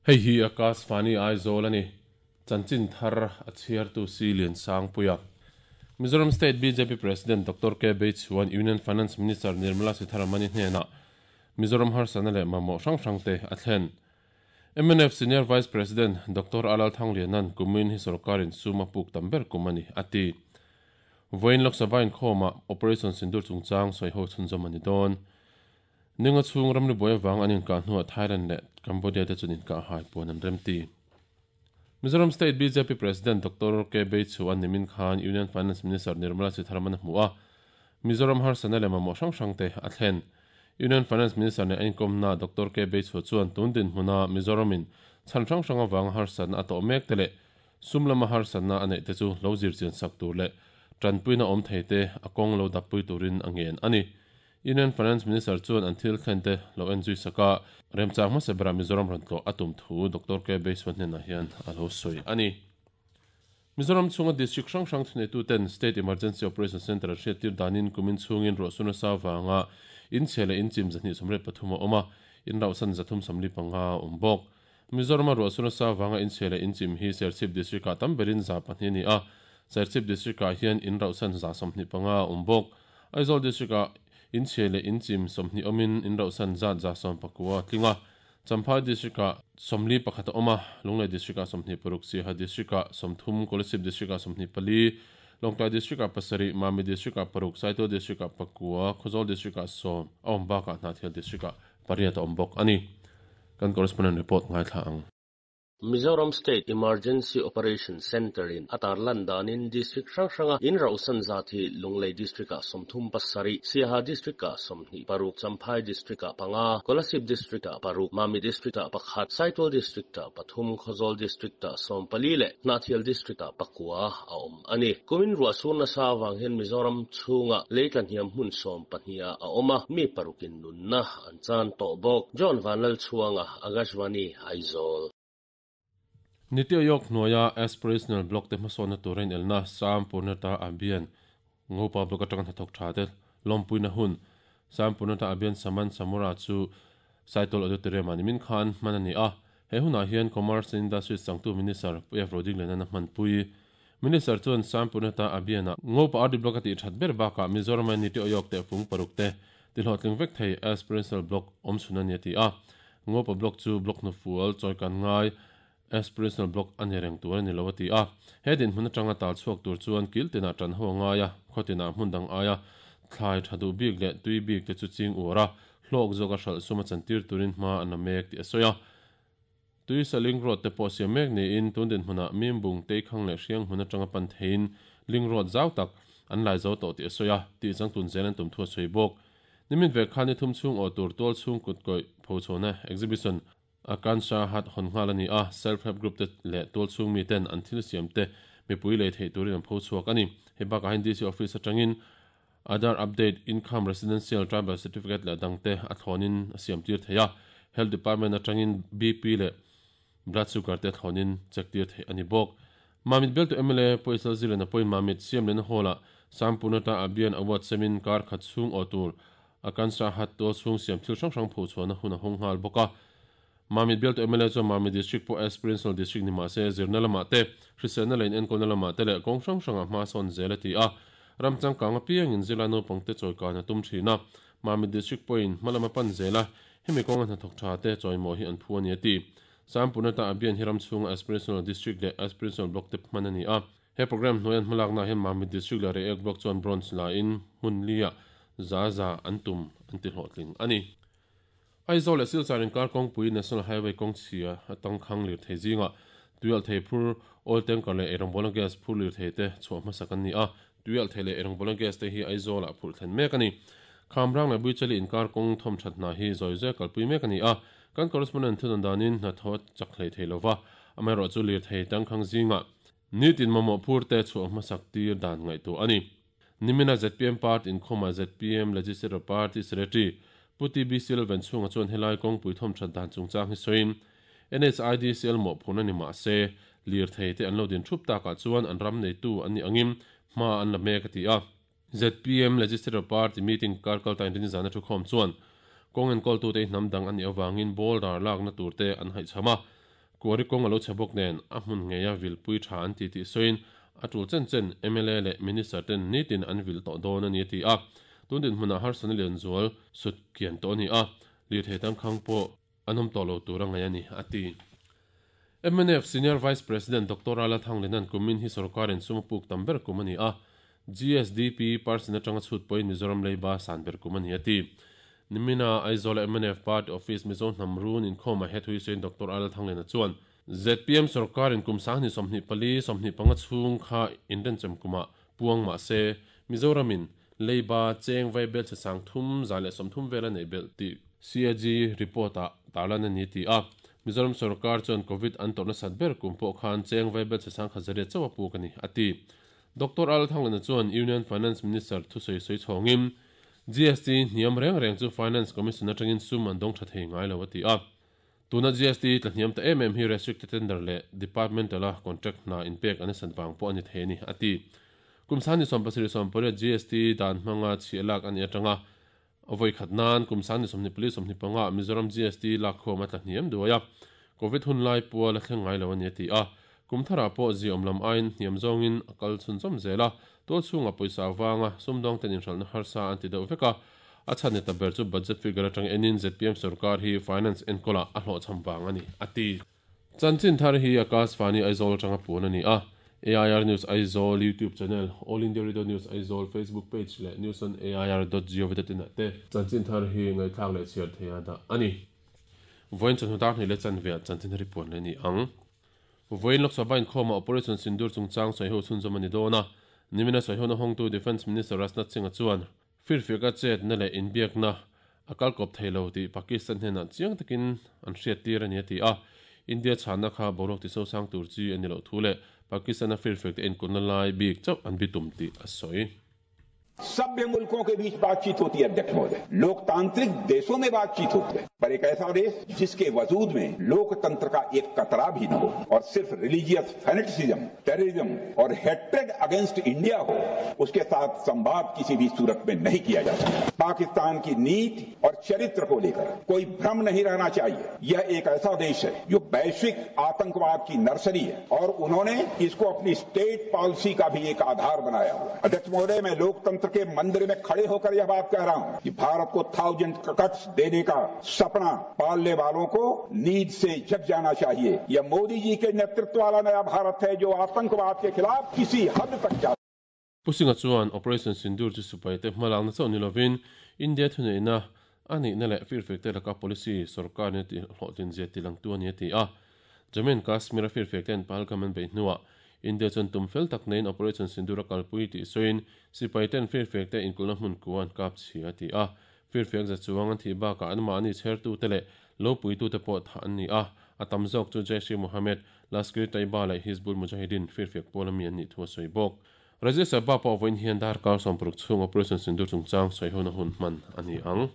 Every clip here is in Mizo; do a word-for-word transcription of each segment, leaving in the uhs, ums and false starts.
Hei hi Akashvani Aizawl a ni. Chanchin thar a chhiartu si Lian Sangpuia. Mizoram State B J P President Doctor K Beichuan Union Finance Minister Nirmala Sitharaman hnenah Mizoram harsatna leh mamawh hrang hrangte a thlen. M N F Senior Vice President Doctor Alal Thanglianan kumin hi sorkarin suma puk tam ber kum ani ati. Voin Lok Sabha in khoma Operation Sindur chungchang soi ho chhunzawm ani dawn. Ninga chung ramri buai wang anin ka hnuah Thailand leh Cambodia te chunin ka hai puan an remti. Mizoram State B J P President Doctor K Beichuan nimin khan Union Finance Minister Nirmala Sitharaman hmu a, Mizoram harsatna leh mamawh hrang hrangte a thlen. Union Finance Minister ne inkom na Doctor K Beichu chuan tundin hmuna Mizoramin chan hrang hrang awang harsatna a tawh mek te leh sum lama harsatna a neih te chu lo zir chian sak tur leh tanpuina awm thei te a kawng lo dappui turin a ngen ani. Union Finance Minister chuan an thil thlen te lo en zui saka remchang hmasa bera Mizoram rawn tlawh a tum thu Doctor K Beichuan hnenah hian a lo sawi ani. Mizoram chunga district hrang hrang thuneitu ten State Emergency Operation Center hriat tir danin kumin chungin ruahsuna sa wanga in chhe leh in chim zahnih sawmriat pathum a awm a, in rauhsan zathum sawmli panga awm bawk. Mizoram a ruahsuna sa wanga in chhe leh in chim hi Serchhip district ah tam berin za pahnih ani a, Serchhip district ah hian in rauhsan za sawmhnih panga awm bawk. Aizawl district ah in chhe leh in chim sawmhnih awmin in rauhsan zat za sawm pakua tlinga. Champhai district ah sawmli pakhat a awm a, Lunglei district ah sawmhnih paruk, Siaha district ah sawmthum, Kolasib district ah sawmhnih pali, Lawngtlai district ah pasarih, Mami district ah paruk, Saitual district ah pakua, Khawzawl district ah sawm a awm bakah Hnahthial district ah pariat a awm bawk ani. Kan correspondent report ngaithla ang. Mizoram State Emergency Operation Center in atar landanin district hrang hranga in rauhsan zat hi Lunglei district ah sawmthum pasarih, Siaha district ah sawmhnih paruk, Champhai district ah panga, Kolasib district ah paruk, Mami district ah pakhat, Saitual district ah pathum, Khawzawl district ah sawm pali leh Hnahthial district ah pakua a awm ani. Kumin ruahsur nasa awang hian Mizoram chhunga leitla hniam hmun sawm pahnih a awm a, mi parukin nunna an chan tawh bawk. John Vanlal Chhuanga, Akashvani, Aizawl. Niti Aayog hnuaia aspirational block te hmasawnna turin elna Sampurnata Abhiyan Ngopa block atanga hnathawk tha te lawmpuina hun Sampurnata Abhiyan Saman Samura chu Saitual Auditorium ani min khan hman ani a. He hunah hian Commerce and Industries changtu Minister Pu F Rodingliana hmanpui. Minister chuan Sampurnata Abhiyan a Ngopa R D block a tih that ber bakah Mizoram Niti Aayog te fung paruk te tihlawhtling vek thei aspirational block awm chhun ani a ti a. Ngopa block chu block hnufual chawi kan ngai aspirational block ani reng tur ani lo ati a. He din hmun atanga tal chhuak tur chuan kil tina tan ho ngaia khotina hmun dang aia thlai thadu bik leh tui bik te chu ching ura hlawk zawka hral suma chantir turin hma an mek ti asoya. Tui saling road te pawh siam mek niin tun din hmuna mimbung te khang leh hriang hmun atanga pan thein ling road zau tak an lai zo tawh ti asoya ti changtun zel an tum thu a sawi bawk. Nimin ve khan ni thum chung aw tur tual chung kut koi phochona exhibition Akansha hat hon ngal ani a, self help group te leh tual chung mi ten an thil siam te mipui lei thei turin an pho chhuak ani. He bakah hian D C office atangin Aadhaar update, income, residential tribal certificate leh dangte a thlawnin a siam tir thei a. Health department atangin B P leh blood sugar te thlawnin check tir thei ani bawk. Mamit bialtu M L A Poisal Zilena pawhin Mamit siam lehna hall ah Sampurnata Abhiyan Award semin kar khat chhung aw tur Akansha hat tual chhung siam thil hrang hrang pho chhuahna hun a hawng nghal bawk a. Mamit bialtu M L A chuan Mamit district pawh aspirational district ni mahse zirna lamah te, hriselna leh enkawlna lamah te leh kawng hrang hrangah hma sawn zel a ti a. Ram changkang apiangin zirlai naupang te chawi kan a tum thin a, Mamit district pawhin hma lama pan zel a, hemi kawnga hnathawk tha te chawimaw hi an phu ani a ti. Sampurnata Abhiyan hi ram chhunga aspirational district leh aspirational block te hman ani a. He program hnuaian hmalakna hian Mamit district leh Reiek block chuan bronze la in hmun lia za za an tum an ti hlawhtling ani. Aizawl leh Silchar inkar kawngpui National Highway kawng chhia atang khang lir thei zinga tuial thei phur oil tanker leh eirawngbawl gas phur lir thei te chhuah hmasak an ni a. Tuial thei leh eirawngbawl gas te hi Aizawl ah phurh thlen mek ani. Khamrang leh Buichali inkar kawng thawm that hna hi zawi zawi kalpui mek ani a. Kan correspondent thudan danin hna thaw chak hlei thei lova, amaherawh chu lir thei tangkhang zinga nitin mamawh phur te chhuah hmasak tir dan ngaihtuah ani. Nimina Z P M party inkhawma Z P M Legislative Party Secretary Puti B C L chhunga chuan helai kawngpui thawm that dan chungchang hi sawiin N H I D C L mawh phurna ni mahse lir thei te an lo din thup takah chuan an ram neitu an ni angin hma an la mek a ti a. Z P M Legislative Party meeting kar kalta in rin zana thu khawm chuan kawng enkawl tu te hnam dang ani awangin boulder lakna tur te an haih chama. Kuari kong alo chabok nen a hmun ngeia vilpui tha an ti ti soin atul chen chen M L A le minister ten nitin an vil to don ani ti a tundin hmuna har san lian zual sut kian to ni a li thetang khang po anom to lo turanga yani ati M N F Senior Vice President Doctor Ala Thanglenan kumin hi sarkarin sumapuk tamber kumani a G S D P person atanga chhut poi Mizoram leiba sanber kumani ati nimina Aizawl M N F Party Office Mizo Namrun in khoma het hui sein Doctor Ala Thanglena chuan Z P M sarkarin kumsang ni somni pali somni panga chung kha inden chem kuma puang ma se Mizoramin leiba cheng vai bel sang thum zale somthum vela nei bel ti C A G report a talana ni ti a Mizoram sarkar chuan COVID an torna satber kumpo khan cheng vai bel sang khazare chawa pu kani ati Doctor Al Thanglena chuan Union Finance Minister thu soi soi chhongim G S T niam reng reng chu Finance Commission atangin sum an dong tha thei ngai lo ati a tuna G S T tla hniam ta em em hi restricted tender le departmental a contract na inpek an san wang po ani the ni ati kumsani som pasiri som pore G S T dan hmanga chialak ani atanga avoi khatnan kumsani somni police somni panga Mizoram G S T lak khoma tla hniam duaya COVID hun lai pual a thleng ngai lo ani ati a kumthara po zi omlam ain hniam zongin akal chun chom zela to chunga poisa wanga sumdong ten inhral na harsa an ti deuh veka a chhan ta ber chu budget figure atang enin Z P M sarkar hi finance enkola a hlo cham wang ani ati chanchin thar hi Akash Vani Aizawl tanga pun ani a A I R News Aizawl YouTube channel All India Radio News Aizawl Facebook page le news on A I R dot gov dot in te chanchin thar hi ngai thak le chiar theya da ani voin chan hutar ni le chan ve chanchin report le ni ang voin Lok Sabha in khoma Operation Sindoor chungchang soi ho chun zomani dona nimina soi ho na hong tu Defense Minister Rajnath Singh chuan firfika chet na le inbiak na akal kop thailo ti Pakistan hena chiang takin an hriat tir ani ti a India chana kha borok ti so sang tur chi ani lo thule Pakistan a firfik te en kunna lai bik chau an bitum ti a soi सभ्य मुल्कों के बीच बातचीत होती है अध्यक्ष महोदय, लोकतांत्रिक देशों में बातचीत होती है, पर एक ऐसा देश जिसके वजूद में लोकतंत्र का एक कतरा भी न हो और सिर्फ religious fanaticism, terrorism और hatred against India हो, उसके साथ संवाद किसी भी सूरत में नहीं किया जा सकता। पाकिस्तान की नीति और चरित्र को लेकर कोई भ्रम नहीं रहना चाहिए। यह एक ऐसा देश है जो वैश्विक आतंकवाद की नर्सरी है और उन्होंने इसको अपनी स्टेट पॉलिसी का भी एक आधार बनाया हुआ है। अध्यक्ष महोदय, मैं लोकतंत्र के मंदिर में खड़े होकर यह बात कह रहा हूं कि भारत को थाउजेंड कट्स देने का सपना पालने वालों को नींद से जग जाना चाहिए। यह मोदी जी के नेतृत्व वाला नया भारत है जो आतंकवाद के खिलाफ किसी हद तक जा Pusinga chuan Operation Sindoor chu sipai te hmalang na chaw ni lovin India thuneina ani na le firfek te laka policy sarkar ne ti hlawhtlin zia ti lang tu ani ti a Jammu and Kashmir firfek ten Pahalgam an bei hnuah India chuan tumfel tak nein Operation Sindoor a kalpui ti soin sipai ten firfek te inkulna hmun kuan kap chhia ti a firfek za chuang an thi baka an mahni chhertu te le lo puitu te pawh tha an ni a atam zawk chu Jaish-e-Mohammed Lashkar-e-Taiba leh Hizbul Mujahideen firfek pawl ami an nih thu a sawi bawk Rajya Sabha pawh vawiin hian darkar sawmparuk chhung Operation Sindoor chungchang sawi hona hun hman ani ang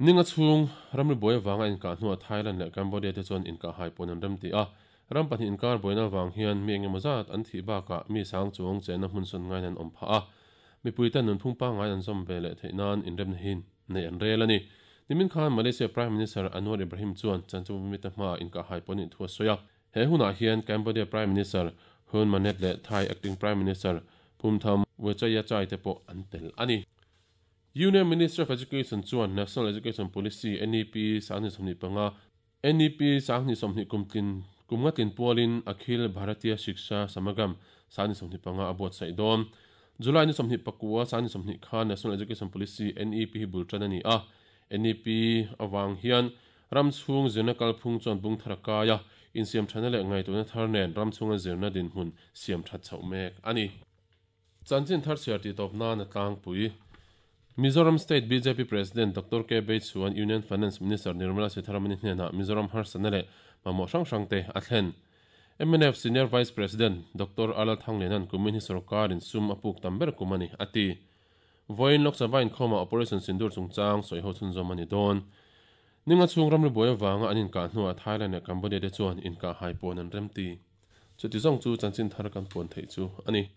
ninga chhung ramri buai wanga inkah hnuah Thailand leh Cambodia te chuan inkah hai pawn an rem ti a ram pahnih inkar buaina wang hian mi engemaw zat an thih bakah mi sang chuang chena hmun sawn ngain an awm phah a mipui ten nun phung pangngai an zawm ve leh theih nan inremna hin nei an rel ani nimin khan Malaysia Prime Minister Anwar Ibrahim chuan chanchawmi te hma inkah hai pawn in thu a sawi a he hunah hian Cambodia Prime Minister Hun Manet le Thai Acting Prime Minister Phumtham Wechayachai te pawh an tel ani Union Minister of Education chuan National Education Policy N E P sangni somni panga N E P sangni somni kumtlin kumngatin pualin Akhil Bharatiya Shiksha Samagam sangni somni panga abot sai dom July ni somni pakua sangni somni kha National Education Policy N E P bultan ani a N E P awang hian ramchhung zirna kalphung chuan bung tharakaya in siam thana le ngai tuna thar nen ramchhunga zirna din hmun siam that chho mek ani chanchin thar siar ti top na na tlang pui Mizoram State B J P President Doctor K Bej chuan Union Finance Minister Nirmala Sitharaman hnena Mizoram harsana le mamawh hrang hrang te a thlen M N F Senior Vice President Doctor Alal Thanglenan kumin hi sarkarin sum apuk tamber kumani ati voin Lok Sabha in khoma Operation Sindoor chungchang sawi ho chhun zawm ani dawn ninga chhung ramri buai wanga an inkah hnuah Thailand leh Cambodia te chuan inkah hai pawn an rem ti chuti zawng chu chanchin thar kan pawn theih chu ani.